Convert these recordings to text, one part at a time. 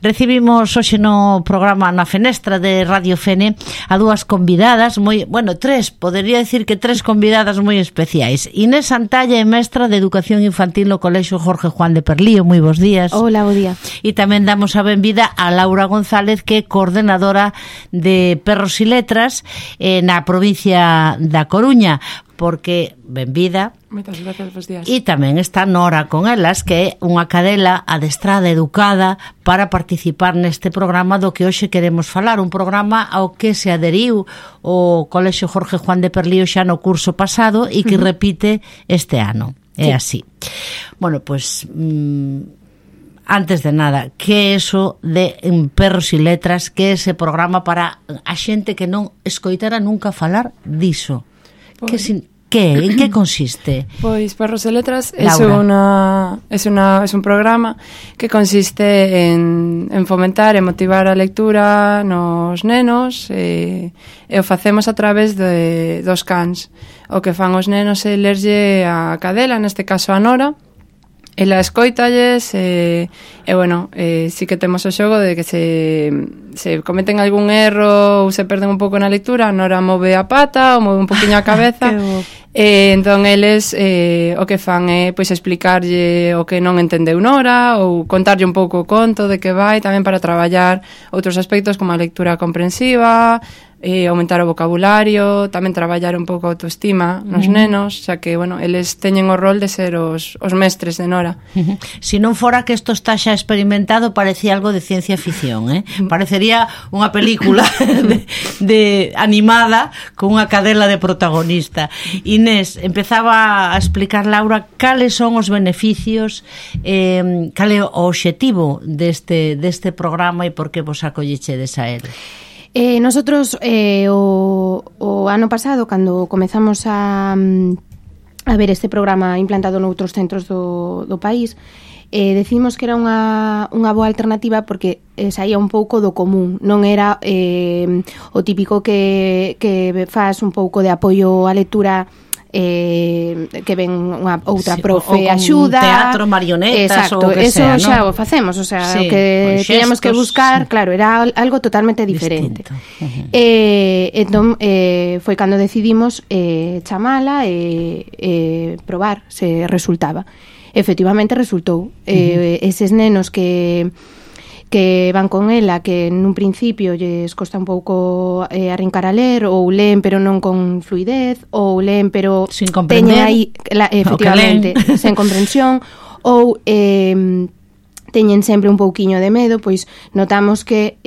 Recibimos hoxe no programa na Fenestra de Radio Fene a dúas convidadas tres convidadas moi especiais. Inés Santalla é mestra de Educación Infantil no Colexio Jorge Juan de Perlío. Moi bons días. Hola, bo día. E tamén damos a benvida a Laura González, que é coordenadora de Perros e Letras na provincia da Coruña. Porque, benvida. Moitas gracias, bons días. E tamén está Nora con elas, que é unha cadela adestrada, educada, para participar neste programa do que hoxe queremos falar. Un programa ao que se aderiu o Colexio Jorge Juan de Perlío xa no curso pasado e que repite este ano. É así. Bueno, pois... antes de nada, que é eso de Perros e Letras, que é ese programa para a xente que non escoitara nunca falar diso? En que consiste? Pois Perros e Letras é un programa que consiste en fomentar e motivar a lectura nos nenos e o facemos a través dos cans. O que fan os nenos é lerlle a cadela, neste caso a Nora. Ela escóitalles sí que temos o xogo de que se cometen algún erro ou se perden un pouco na lectura, a Nora move a pata ou move un poquinho a cabeza. Entón eles o que fan é pois explicarlle o que non entendeu Nora ou contarlle un pouco o conto de que vai, tamén para traballar outros aspectos como a lectura comprensiva, aumentar o vocabulario, tamén traballar un pouco a autoestima nos nenos, xa que, eles teñen o rol de ser os mestres de Nora. Se non fora que isto está xa experimentado, parecía algo de ciencia ficción, Parecería unha película de animada con unha cadela de protagonista. Inés, empezaba a explicar Laura cales son os beneficios, cal é o obxectivo deste programa e por que vos acollechedes a él. Nosotros o ano pasado, cando comezamos a ver este programa implantado noutros centros do país, decidimos que era unha boa alternativa porque saía un pouco do común, non era o típico que faz un pouco de apoio á lectura, que ven unha outra profe axuda, teatro, marionetas. Exacto, ou que eso sea, xa o facemos, o sea, sí, o que teníamos que buscar, claro, era algo totalmente diferente. Entón foi cando decidimos chamala e probar se resultaba. Efectivamente resultou. Eses nenos que van con ela, que nun principio lles costa un pouco arrincar a ler, ou leen pero non con fluidez, ou leen pero sin comprender, teñen aí efectivamente sen comprensión, ou teñen sempre un pouquiño de medo, pois notamos que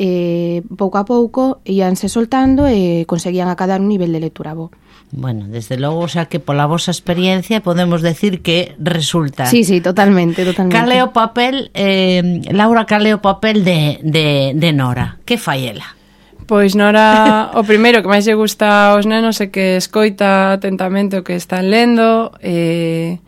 pouco a pouco íanse soltando e conseguían acadar un nivel de lectura bo. Bueno, desde logo, xa que pola vosa experiencia podemos decir que resulta. Sí, totalmente. Cal é o papel, Laura, cal é o papel de Nora? Que fai ela? Pois Nora, o primeiro que máis lle gusta aos nenos é que escoita atentamente o que están lendo, e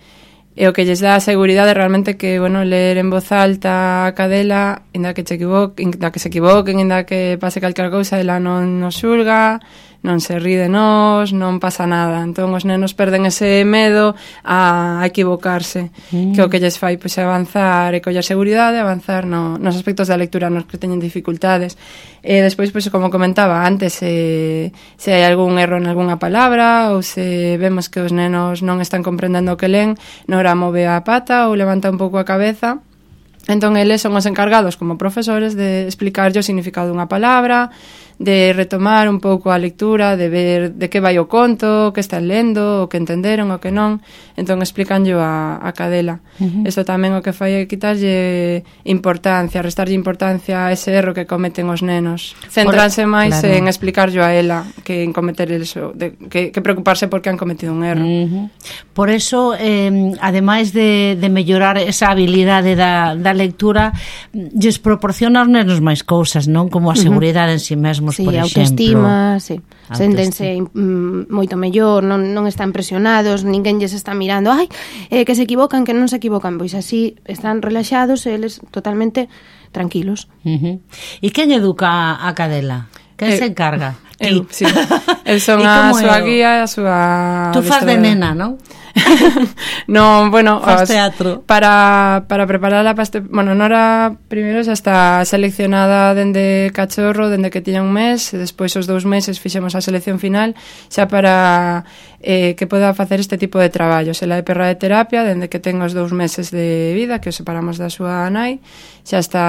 o que lles dá a seguridade realmente que, ler en voz alta a cadela, inda que se equivoquen, inda que pase calquera cousa, ela non nos xulga, non se rí de nós, non pasa nada. Entón os nenos perden ese medo a equivocarse, que o que lles fai pois é avanzar e coller seguridade, avanzar nos aspectos da lectura nos que teñen dificultades. E despois, pois, como comentaba antes, se hai algún erro en algunha palabra ou se vemos que os nenos non están comprendendo o que len, Nora move a pata ou levanta un pouco a cabeza. Entón eles son os encargados como profesores de explicarlle o significado dunha palabra, de retomar un pouco a lectura, de ver de que vai o conto, o que están lendo, o que entenderon, o que non. Entón explicanllo a cadela. Isto tamén o que fai é quitarlle importancia, restarlle importancia a ese erro que cometen os nenos. Centranse máis en explicarllo a ela que en cometer eso, que preocuparse porque han cometido un erro. Por eso, ademais de mellorar esa habilidade da lectura, lles proporciona aos nenos máis cousas, non? Como a seguridade en si mesmo. Sí, autoestima, sí. Séntense moito mellor, non están presionados, ninguén lles está mirando, que se equivocan, que non se equivocan, pois así están relaxados e eles totalmente tranquilos. E quen educa a cadela? Quen se encarga? Sí. Eu son a súa guía, a súa... Tú fas de nena, non? No, bueno, faz teatro. Para prepararla para este... Bueno, Nora primeiro xa está seleccionada dende cachorro, dende que tiña un mes, e despois os 2 meses fixemos a selección final xa para que poda facer este tipo de traballos. Ela é perra de terapia, dende que ten os 2 meses de vida, que os separamos da súa nai, xa está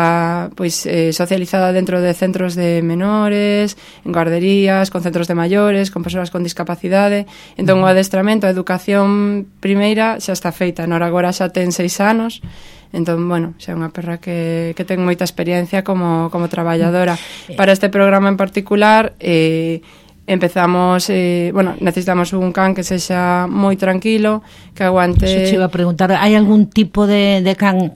pois socializada dentro de centros de menores, en guarderías, con centros de maiores, con persoas con discapacidade. Entón o adestramento, a educación primeira xa está feita. Nora agora xa ten 6 anos. Entón, bueno, xa é unha perra que ten moita experiencia como traballadora. Para este programa en particular, empezamos, necesitamos un can que sexa moi tranquilo, que aguante... Eso te iba a preguntar, hai algún tipo de can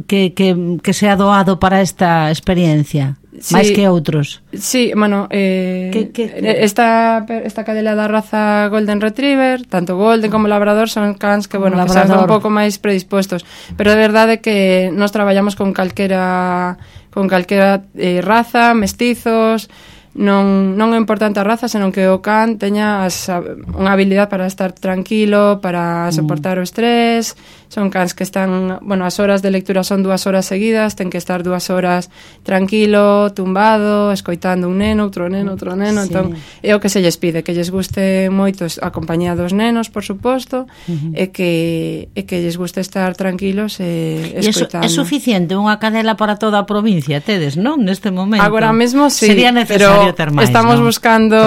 que sea doado para esta experiencia? Sí, máis que outros? Sí, bueno, esta cadela da raza Golden Retriever, tanto Golden como Labrador, son cans que, bueno, que son un pouco máis predispostos, pero de verdade que nos traballamos con calquera raza, mestizos. Non é importante a raza, senón que o can teña unha habilidade para estar tranquilo, para soportar o estrés. Son cans que están, bueno, as horas de lectura son 2 horas seguidas, ten que estar 2 horas tranquilo, tumbado, escoitando un neno, outro neno, sí. Entón, é o que se lles pide, que lles guste moito a compañía dos nenos, por suposto, e que lles guste estar tranquilos e escoitando. É suficiente unha cadela para toda a provincia, tedes, non? Neste momento. Agora mesmo sí, sería necesario ter máis, estamos ¿no? buscando...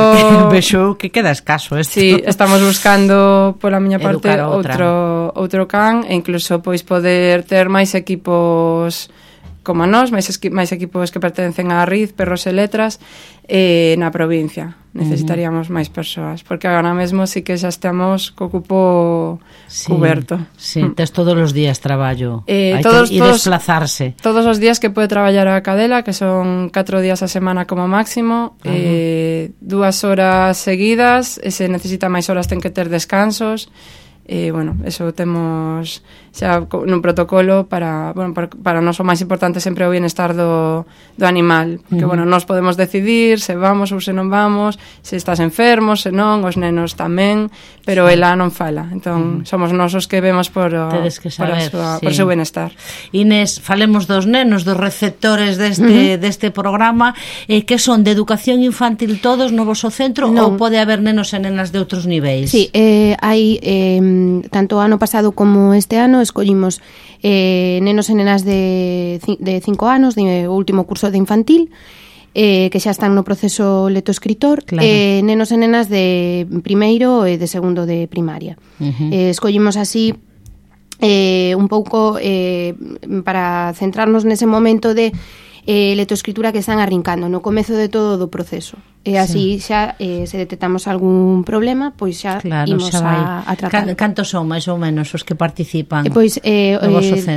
Vexo que queda escaso esto. Sí, estamos buscando pola miña parte outro can, e incluso pois poder ter máis equipos como nós, máis equipos que pertencen á RID, Perros e Letras, na provincia. Necesitaríamos máis persoas, porque agora mesmo sí que xa estamos co cupo cuberto. Sí, tes todos os días traballo. Hai que desplazarse. Todos os días que pode traballar a cadela, que son 4 días a semana como máximo, 2 horas seguidas, e se necesita máis horas ten que ter descansos. Bueno, eso temos xa nun protocolo para nós o máis importante sempre o bienestar do animal, que bueno, nós podemos decidir se vamos ou se non vamos, se estás enfermo, se non, os nenos tamén, pero ela non fala, entón somos nós os que vemos por o seu bienestar. Inés, falemos dos nenos, dos receptores deste programa, que son de educación infantil todos no voso centro, ou pode haber nenos e nenas de outros niveis? Sí, hai tanto ano pasado como este ano escollimos nenos e nenas de 5 anos, de último curso de infantil, que xa están no proceso lectoescritor, nenos e nenas de primeiro e de segundo de primaria. Escollimos así un pouco para centrarnos nese momento de lectoescritura que están arrincando no comezo de todo o proceso, e así xa se detectamos algún problema, pois xa imos a tratar. Cantos son máis ou menos os que participan? Pois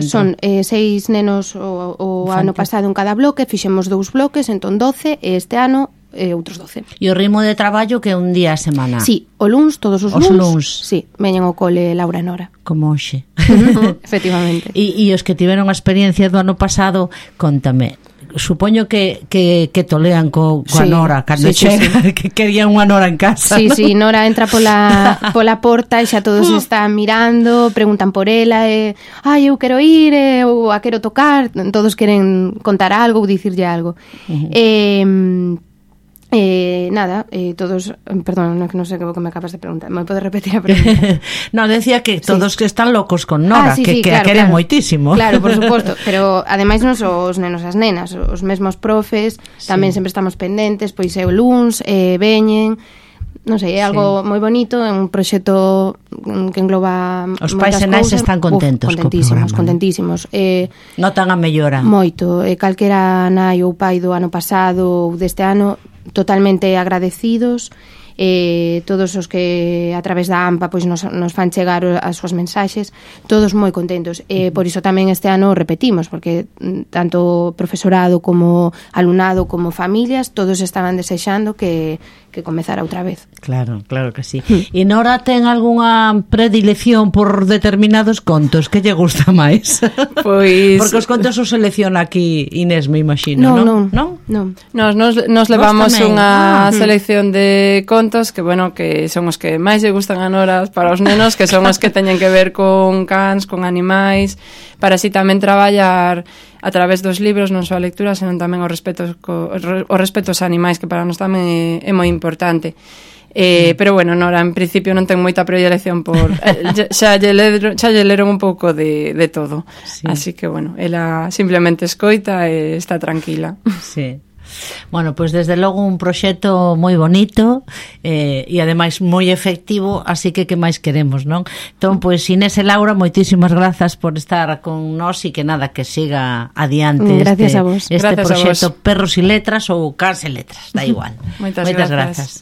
son 6 nenos o ano pasado en cada bloque, fixemos 2 bloques, entón 12, e este ano outros 12. E o ritmo de traballo que é un día a semana? Sí, o luns, todos os luns. Sí, veñen ao cole Laura e Nora. Como hoxe. Efectivamente. E os que tiveron a experiencia do ano pasado, contame, supoño que tolean coa Nora cando chega, que querían unha Nora en casa. Sí, ¿no? sí, Nora entra pola porta e xa todos están mirando, preguntan por ela, eu quero ir, ou a quero tocar, todos queren contar algo ou dicirlle algo. Todos, perdón, non sei o que me acabas de preguntar. Me podes repetir a pregunta? No, decía que todos que están locos con Nora, que claro, a queren moitísimo. Claro, por suposto, pero ademais non só os nenos as nenas, os mesmos profes, tamén sempre estamos pendentes, pois é o luns, veñen, non sei, é algo moi bonito, é un proxecto que engloba os pais e nais están contentos co programa, contentísimos. Notan a mellora moito, calquera nai ou pai do ano pasado ou deste ano totalmente agradecidos, todos os que a través da AMPA pois nos fan chegar as súas mensaxes, todos moi contentos, por iso tamén este ano repetimos, porque tanto profesorado como alumnado como familias, todos estaban desexando que comezara outra vez. Claro, claro que sí. E Nora ten algunha predilección por determinados contos que lle gusta máis? Pois... Porque os contos os selecciona aquí Inés, me imagino, non? Non. Nos levamos unha selección de contos que, bueno, que son os que máis lle gustan a Nora para os nenos, que son os que teñen que ver con cans, con animais, para así tamén traballar a través dos libros, non só a lectura, senón tamén o respeto aos animais, que para nós tamén é moi importante. Pero bueno, Nora en principio non ten moita predilección por xa lle leron un pouco de todo, sí. Así que bueno, ela simplemente escoita e está tranquila. Sí. Bueno, pois desde logo un proxecto moi bonito e ademais moi efectivo, así que máis queremos, non? Entón, pois Inés e Laura, moitísimas grazas por estar con nós e que nada, que siga adiante gracias a vos. Este proxecto Perros e Letras ou Cans e Letras, da igual. Moitas grazas.